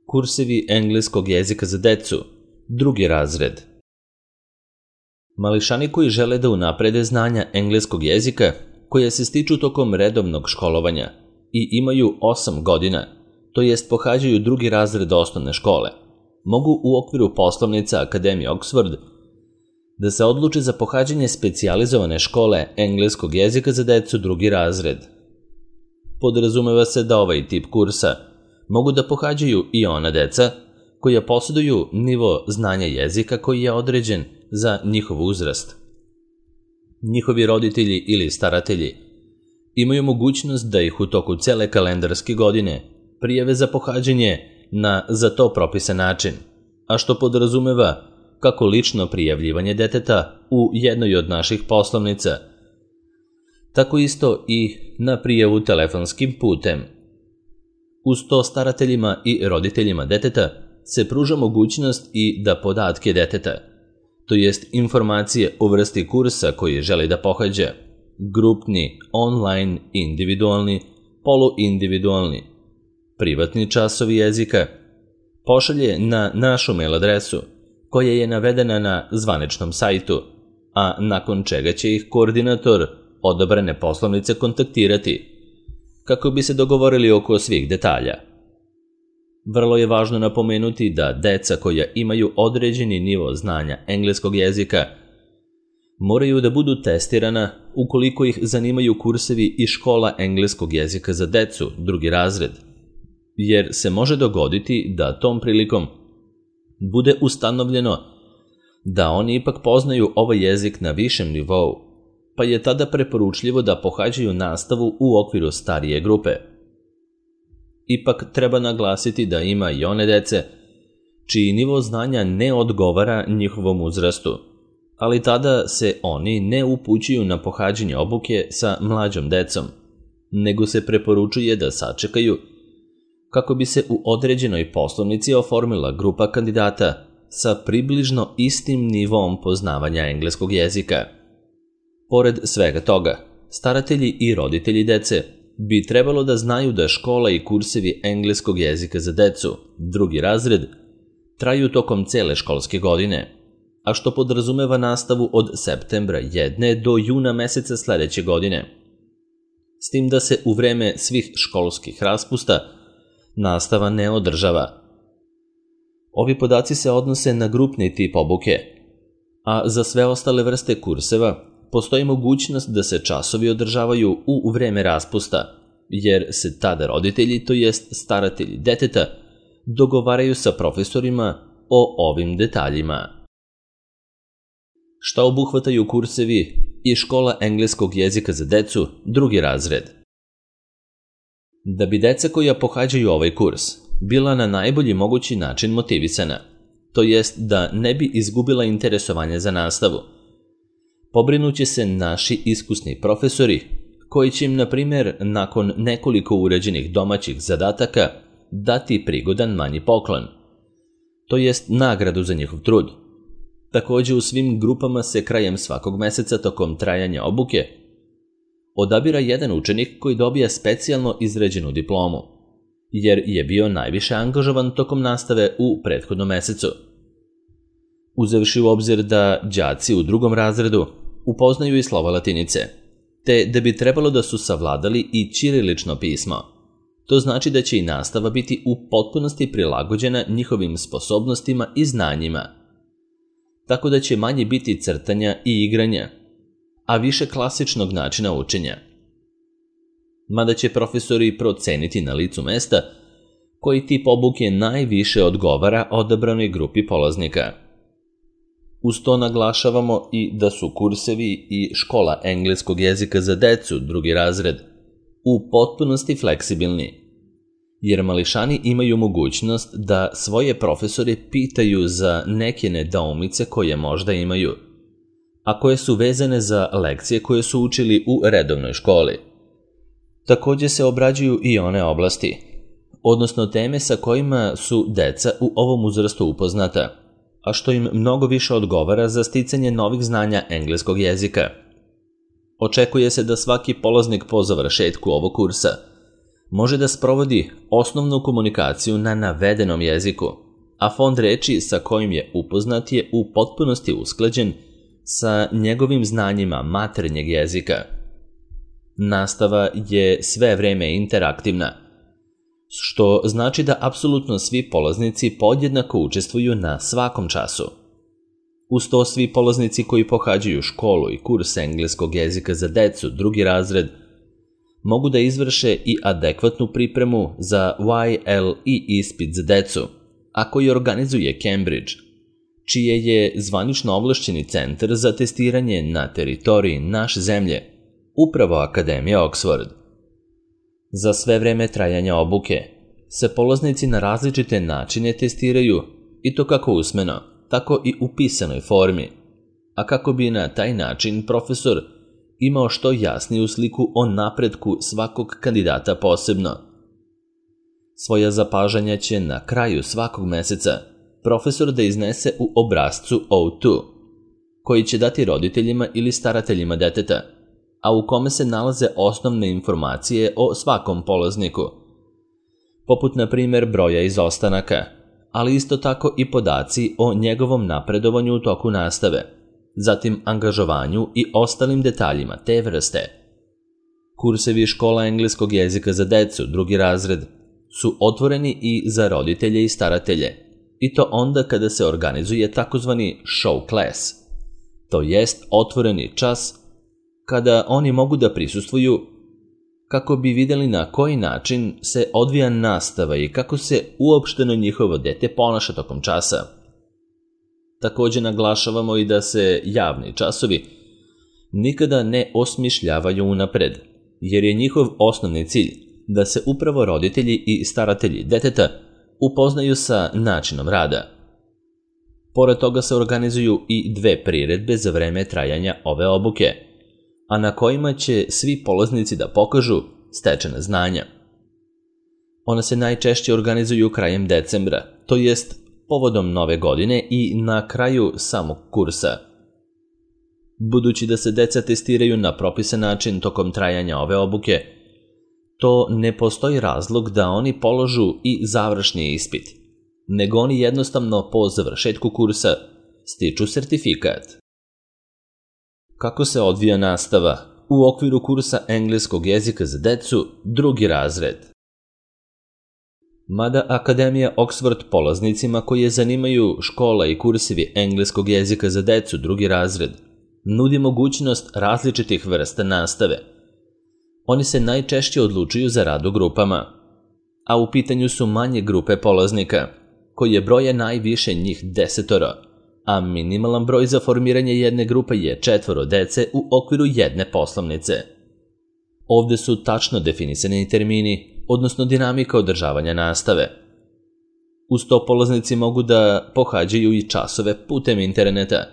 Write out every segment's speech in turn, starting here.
Kursevi engleskog jezika za decu, drugi razred. Mališani koji žele da unaprede znanja engleskog jezika, koje se stiču tokom redovnog školovanja i imaju 8 godina, to jest pohađaju drugi razred osnovne škole, mogu u okviru poslovnica Akademije Oxford da se odluče za pohađanje specijalizovane škole engleskog jezika za decu drugi razred. Podrazumeva se da ovaj tip kursa mogu da pohađaju i ona deca koja posjeduju nivo znanja jezika koji je određen za njihov uzrast. Njihovi roditelji ili staratelji imaju mogućnost da ih u toku cele kalendarske godine prijave za pohađanje na za to propisan način, a što podrazumeva kako lično prijavljivanje deteta u jednoj od naših poslovnica, tako isto i na prijavu telefonskim putem. Uz to starateljima i roditeljima deteta se pruža mogućnost i da podatke deteta, to jest informacije o vrsti kursa koji želi da pohađa, grupni, online, individualni, poluindividualni, privatni časovi jezika, pošalje na našu mail adresu koja je navedena na zvaničnom sajtu, a nakon čega će ih koordinator odabrane poslovnice kontaktirati kako bi se dogovorili oko svih detalja. Vrlo je važno napomenuti da deca koja imaju određeni nivo znanja engleskog jezika moraju da budu testirana ukoliko ih zanimaju kursevi i škola engleskog jezika za decu, drugi razred, jer se može dogoditi da tom prilikom bude ustanovljeno da oni ipak poznaju ovaj jezik na višem nivou, pa je tada preporučljivo da pohađaju nastavu u okviru starije grupe. Ipak treba naglasiti da ima i one dece čiji nivo znanja ne odgovara njihovom uzrastu, ali tada se oni ne upućuju na pohađanje obuke sa mlađom decom, nego se preporučuje da sačekaju kako bi se u određenoj poslovnici oformila grupa kandidata sa približno istim nivom poznavanja engleskog jezika. Pored svega toga, staratelji i roditelji dece bi trebalo da znaju da škola i kursevi engleskog jezika za decu, drugi razred, traju tokom cele školske godine, a što podrazumeva nastavu od septembra jedne do juna meseca sledeće godine. S tim da se u vreme svih školskih raspusta nastava ne održava. Ovi podaci se odnose na grupni tip obuke, a za sve ostale vrste kurseva postoji mogućnost da se časovi održavaju u vreme raspusta, jer se tada roditelji, to jest staratelji deteta, dogovaraju sa profesorima o ovim detaljima. Šta obuhvataju kursevi i škola engleskog jezika za decu, drugi razred? Da bi deca koja pohađaju ovaj kurs bila na najbolji mogući način motivisana, to jest da ne bi izgubila interesovanje za nastavu, pobrinuće se naši iskusni profesori koji će im, na primjer, nakon nekoliko uređenih domaćih zadataka dati prigodan manji poklon, to jest nagradu za njihov trud. Također u svim grupama se krajem svakog meseca tokom trajanja obuke odabira jedan učenik koji dobija specijalno izrađenu diplomu, jer je bio najviše angažovan tokom nastave u prethodnom mesecu. Uzevši u obzir da đaci u drugom razredu upoznaju i slova latinice, te da bi trebalo da su savladali i ćirilično pismo, to znači da će i nastava biti u potpunosti prilagođena njihovim sposobnostima i znanjima, tako da će manje biti crtanja i igranja, a više klasičnog načina učenja. Mada će profesori proceniti na licu mesta koji tip obuke najviše odgovara odabranoj grupi polaznika. Uz to naglašavamo i da su kursevi i škola engleskog jezika za decu, drugi razred, u potpunosti fleksibilni, jer mališani imaju mogućnost da svoje profesore pitaju za neke nedoumice koje možda imaju, a koje su vezane za lekcije koje su učili u redovnoj školi. Također se obrađuju i one oblasti, odnosno teme sa kojima su deca u ovom uzrastu upoznata, a što im mnogo više odgovara za sticanje novih znanja engleskog jezika. Očekuje se da svaki polaznik po završetku ovog kursa može da sprovodi osnovnu komunikaciju na navedenom jeziku, a fond reči sa kojim je upoznat je u potpunosti usklađen sa njegovim znanjima maternjeg jezika. Nastava je sve vreme interaktivna, što znači da apsolutno svi polaznici podjednako učestvuju na svakom času. Uz to svi polaznici koji pohađaju školu i kurs engleskog jezika za decu drugi razred mogu da izvrše i adekvatnu pripremu za YLE ispit za decu, a koji organizuje Cambridge, čije je zvanično ovlašćeni centar za testiranje na teritoriji naše zemlje, upravo Akademija Oxford. Za sve vreme trajanja obuke se polaznici na različite načine testiraju, i to kako usmeno, tako i u pisanoj formi, a kako bi na taj način profesor imao što jasniju sliku o napretku svakog kandidata posebno. Svoja zapažanja će na kraju svakog meseca profesor da iznese u obrascu O2, koji će dati roditeljima ili starateljima deteta, a u kome se nalaze osnovne informacije o svakom polazniku, poput na primjer broja izostanaka, ali isto tako i podaci o njegovom napredovanju u toku nastave, zatim angažovanju i ostalim detaljima te vrste. Kursevi škola engleskog jezika za decu drugi razred su otvoreni i za roditelje i staratelje, i to onda kada se organizuje takozvani show class, to jest otvoreni čas kada oni mogu da prisustvuju kako bi vidjeli na koji način se odvija nastava i kako se uopšteno njihovo dete ponaša tokom časa. Također naglašavamo i da se javni časovi nikada ne osmišljavaju unapred, jer je njihov osnovni cilj da se upravo roditelji i staratelji deteta upoznaju sa načinom rada. Pored toga se organizuju i 2 priredbe za vreme trajanja ove obuke, a na kojima će svi polaznici da pokažu stečena znanja. One se najčešće organizuju krajem decembra, to jest povodom nove godine i na kraju samog kursa. Budući da se deca testiraju na propisan način tokom trajanja ove obuke, to ne postoji razlog da oni položu i završni ispit, nego oni jednostavno po završetku kursa stiču sertifikat. Kako se odvija nastava u okviru kursa engleskog jezika za decu drugi razred? Mada Akademija Oxford polaznicima koje zanimaju škola i kursevi engleskog jezika za decu drugi razred nudi mogućnost različitih vrsta nastave, oni se najčešće odlučuju za rad u grupama, a u pitanju su manje grupe polaznika, koje broje najviše njih 10, a minimalan broj za formiranje jedne grupe je 4 dece u okviru jedne poslovnice. Ovde su tačno definisani termini, odnosno dinamika održavanja nastave. Uz to polaznici mogu da pohađaju i časove putem interneta,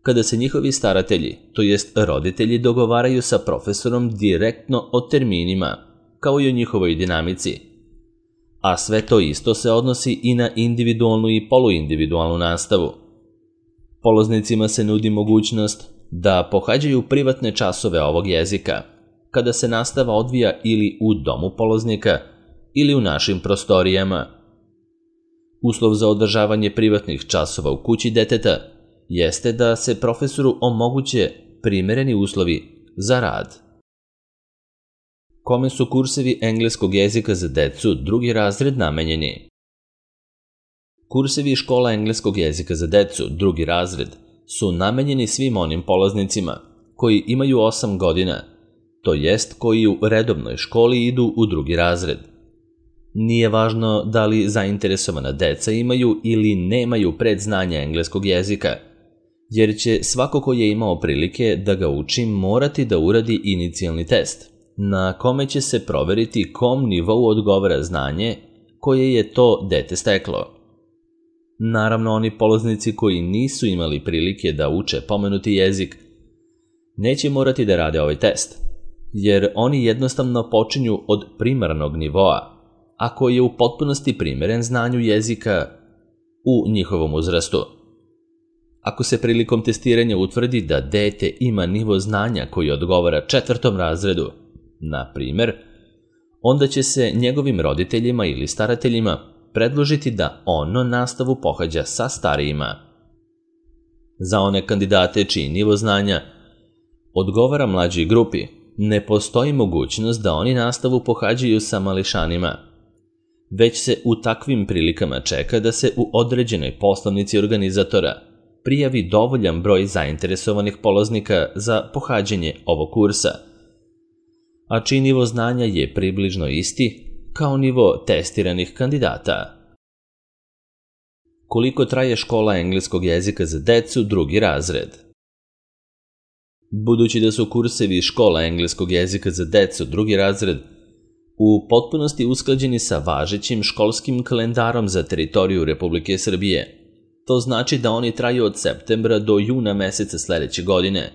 kada se njihovi staratelji, to jest roditelji, dogovaraju sa profesorom direktno o terminima, kao i o njihovoj dinamici. A sve to isto se odnosi i na individualnu i poluindividualnu nastavu. Polaznicima se nudi mogućnost da pohađaju privatne časove ovog jezika, kada se nastava odvija ili u domu polaznika ili u našim prostorijama. Uslov za održavanje privatnih časova u kući deteta jeste da se profesoru omoguće primereni uslovi za rad. Kome su kursevi engleskog jezika za decu drugi razred namenjeni? Kursevi škola engleskog jezika za decu drugi razred su namenjeni svim onim polaznicima koji imaju 8 godina, to jest koji u redovnoj školi idu u drugi razred. Nije važno da li zainteresovana deca imaju ili nemaju predznanja engleskog jezika, jer će svako ko je imao prilike da ga uči morati da uradi inicijalni test, na kome će se proveriti kom nivou odgovara znanje koje je to dete steklo. Naravno, oni polaznici koji nisu imali prilike da uče pomenuti jezik neće morati da rade ovaj test, jer oni jednostavno počinju od primarnog nivoa, a koji je u potpunosti primeren znanju jezika u njihovom uzrastu. Ako se prilikom testiranja utvrdi da dete ima nivo znanja koji odgovara 4. razredu, na primjer, onda će se njegovim roditeljima ili starateljima predložiti da ono nastavu pohađa sa starijima. Za one kandidate čiji nivo znanja odgovara mlađoj grupi, ne postoji mogućnost da oni nastavu pohađaju sa mališanima, već se u takvim prilikama čeka da se u određenoj poslovnici organizatora prijavi dovoljan broj zainteresovanih polaznika za pohađanje ovog kursa, a čiji nivo znanja je približno isti kao nivo testiranih kandidata. Koliko traje škola engleskog jezika za decu drugi razred? Budući da su kursevi škola engleskog jezika za decu drugi razred u potpunosti usklađeni sa važećim školskim kalendarom za teritoriju Republike Srbije, to znači da oni traju od septembra do juna meseca sledeće godine.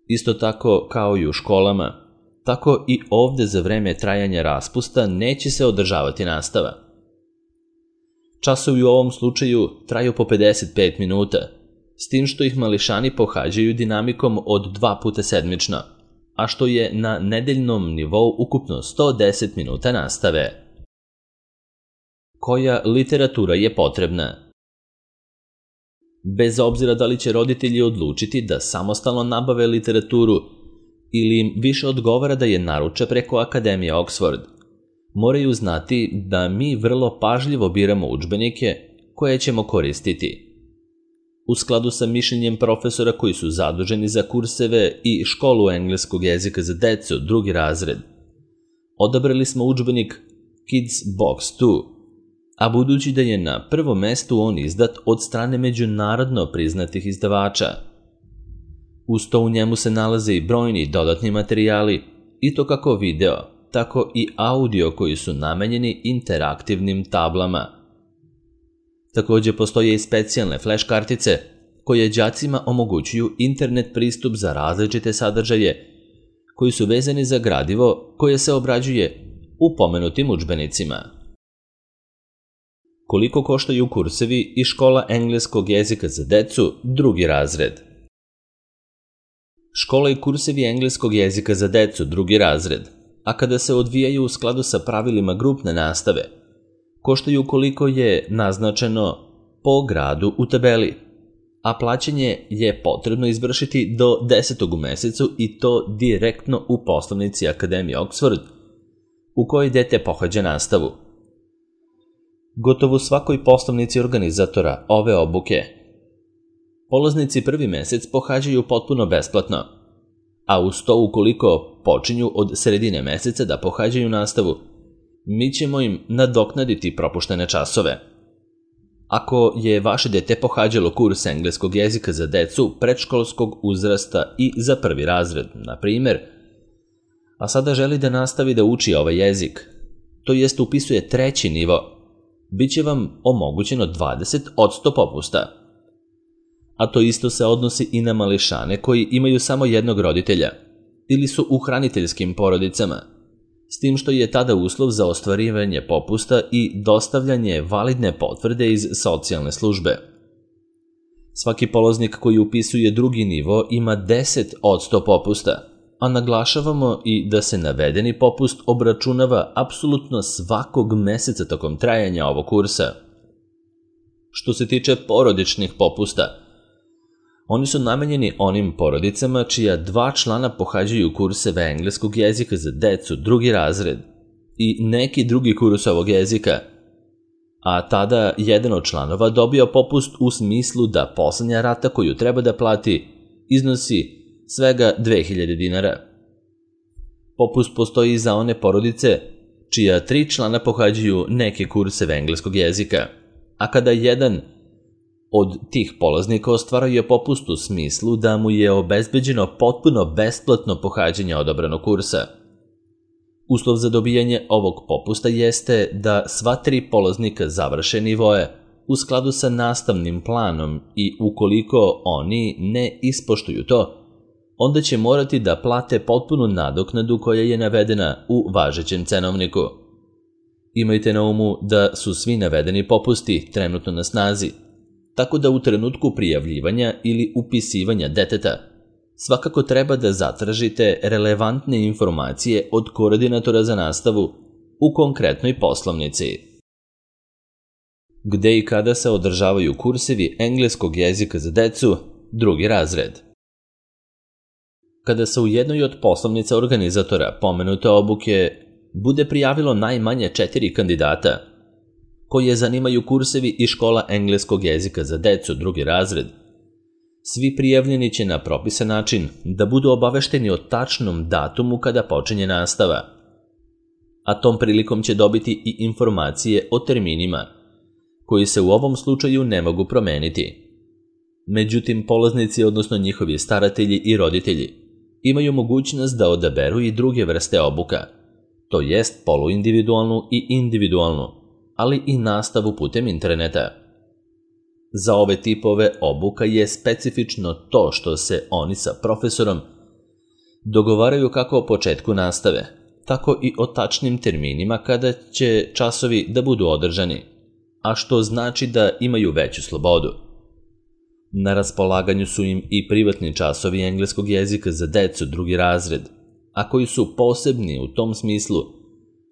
Isto tako kao i u školama, tako i ovde za vreme trajanja raspusta neće se održavati nastava. Časovi u ovom slučaju traju po 55 minuta, s tim što ih mališani pohađaju dinamikom od 2 puta sedmično, a što je na nedeljnom nivou ukupno 110 minuta nastave. Koja literatura je potrebna? Bez obzira da li će roditelji odlučiti da samostalno nabave literaturu ili im više odgovara da je naruče preko Akademije Oxford, moraju znati da mi vrlo pažljivo biramo udžbenike koje ćemo koristiti. U skladu sa mišljenjem profesora koji su zaduženi za kurseve i školu engleskog jezika za decu drugi razred, odabrali smo udžbenik Kids Box 2, a budući da je na prvom mestu on izdat od strane međunarodno priznatih izdavača. Uz to u njemu se nalaze i brojni dodatni materijali, i to kako video, tako i audio koji su namenjeni interaktivnim tablama. Također postoje i specijalne flash kartice koje đacima omogućuju internet pristup za različite sadržaje koji su vezani za gradivo koje se obrađuje u pomenutim udžbenicima. Koliko koštaju kursevi i škola engleskog jezika za decu drugi razred? Škola i kursevi engleskog jezika za decu drugi razred, a kada se odvijaju u skladu sa pravilima grupne nastave, koštaju koliko je naznačeno po gradu u tabeli, a plaćanje je potrebno izvršiti do 10. u mesecu i to direktno u poslovnici Akademije Oxford, u kojoj dete pohađa nastavu. Gotovo u svakoj poslovnici organizatora ove obuke polaznici prvi mesec pohađaju potpuno besplatno, a uz to ukoliko počinju od sredine meseca da pohađaju nastavu, mi ćemo im nadoknaditi propuštene časove. Ako je vaše dete pohađalo kurs engleskog jezika za decu predškolskog uzrasta i za prvi razred, na primjer, a sada želi da nastavi da uči ovaj jezik, to jest upisuje treći nivo, bit će vam omogućeno 20% popusta. A to isto se odnosi i na mališane koji imaju samo jednog roditelja ili su u hraniteljskim porodicama, s tim što je tada uslov za ostvarivanje popusta i dostavljanje validne potvrde iz socijalne službe. Svaki polaznik koji upisuje drugi nivo ima 10% popusta, a naglašavamo i da se navedeni popust obračunava apsolutno svakog meseca tokom trajanja ovog kursa. Što se tiče porodičnih popusta, oni su namenjeni onim porodicama čija 2 člana pohađaju kurseve engleskog jezika za decu drugi razred i neki drugi kurs ovog jezika, a tada jedan od članova dobio popust u smislu da poslednja rata koju treba da plati iznosi svega 2000 dinara. Popust postoji i za one porodice čija 3 člana pohađaju neke kurseve engleskog jezika, a kada jedan od tih polaznika ostvaruje popust u smislu da mu je obezbeđeno potpuno besplatno pohađanje odabranog kursa. Uslov za dobijanje ovog popusta jeste da sva 3 polaznika završe nivoe u skladu sa nastavnim planom i ukoliko oni ne ispoštuju to, onda će morati da plate potpunu nadoknadu koja je navedena u važećem cenovniku. Imajte na umu da su svi navedeni popusti trenutno na snazi, tako da u trenutku prijavljivanja ili upisivanja deteta svakako treba da zatražite relevantne informacije od koordinatora za nastavu u konkretnoj poslovnici. Gde i kada se održavaju kursevi engleskog jezika za decu, drugi razred? Kada se u jednoj od poslovnica organizatora pomenute obuke bude prijavilo najmanje 4 kandidata koje zanimaju kursevi i škola engleskog jezika za decu, drugi razred, svi prijavljeni će na propisan način da budu obavešteni o tačnom datumu kada počinje nastava, a tom prilikom će dobiti i informacije o terminima, koji se u ovom slučaju ne mogu promeniti. Međutim, polaznici, odnosno njihovi staratelji i roditelji, imaju mogućnost da odaberu i druge vrste obuka, to jest poluindividualnu i individualnu, ali i nastavu putem interneta. Za ove tipove obuka je specifično to što se oni sa profesorom dogovaraju kako o početku nastave, tako i o tačnim terminima kada će časovi da budu održani, a što znači da imaju veću slobodu. Na raspolaganju su im i privatni časovi engleskog jezika za decu, drugi razred, a koji su posebni u tom smislu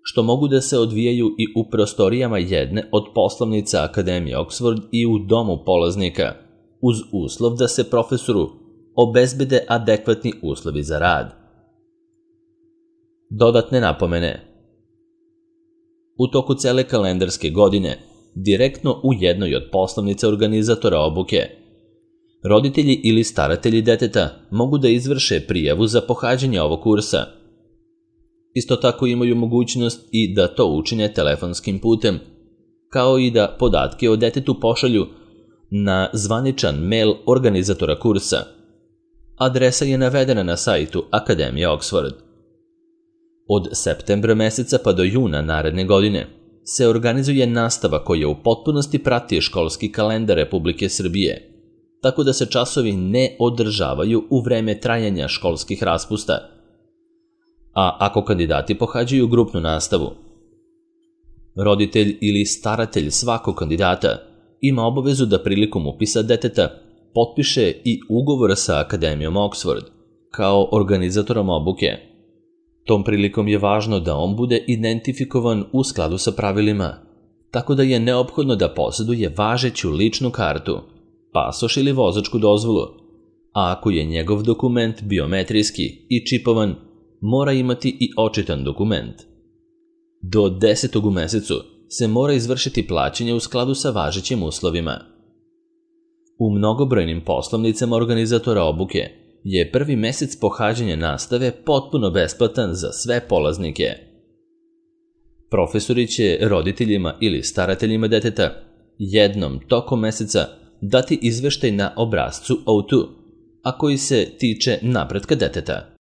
što mogu da se odvijaju i u prostorijama jedne od poslovnica Akademije Oxford i u domu polaznika, uz uslov da se profesoru obezbede adekvatni uslovi za rad. Dodatne napomene. U toku cele kalendarske godine, direktno u jednoj od poslovnica organizatora obuke, roditelji ili staratelji deteta mogu da izvrše prijavu za pohađanje ovog kursa. Isto tako imaju mogućnost i da to učine telefonskim putem, kao i da podatke o detetu pošalju na zvaničan mail organizatora kursa. Adresa je navedena na sajtu Akademije Oxford. Od septembra meseca pa do juna naredne godine se organizuje nastava koja u potpunosti prati školski kalendar Republike Srbije, tako da se časovi ne održavaju u vreme trajanja školskih raspusta, a ako kandidati pohađaju grupnu nastavu, roditelj ili staratelj svakog kandidata ima obavezu da prilikom upisa deteta potpiše i ugovor sa Akademijom Oxford kao organizatorom obuke. Tom prilikom je važno da on bude identifikovan u skladu sa pravilima, tako da je neophodno da posjeduje važeću ličnu kartu, pasoš ili vozačku dozvolu, a ako je njegov dokument biometrijski i čipovan, mora imati i očitan dokument. Do 10. u mesecu se mora izvršiti plaćanje u skladu sa važećim uslovima. U mnogobrojnim poslovnicama organizatora obuke je prvi mesec pohađanja nastave potpuno besplatan za sve polaznike. Profesori će roditeljima ili starateljima deteta jednom tokom meseca dati izveštaj na obrascu O2, a koji se tiče napretka deteta.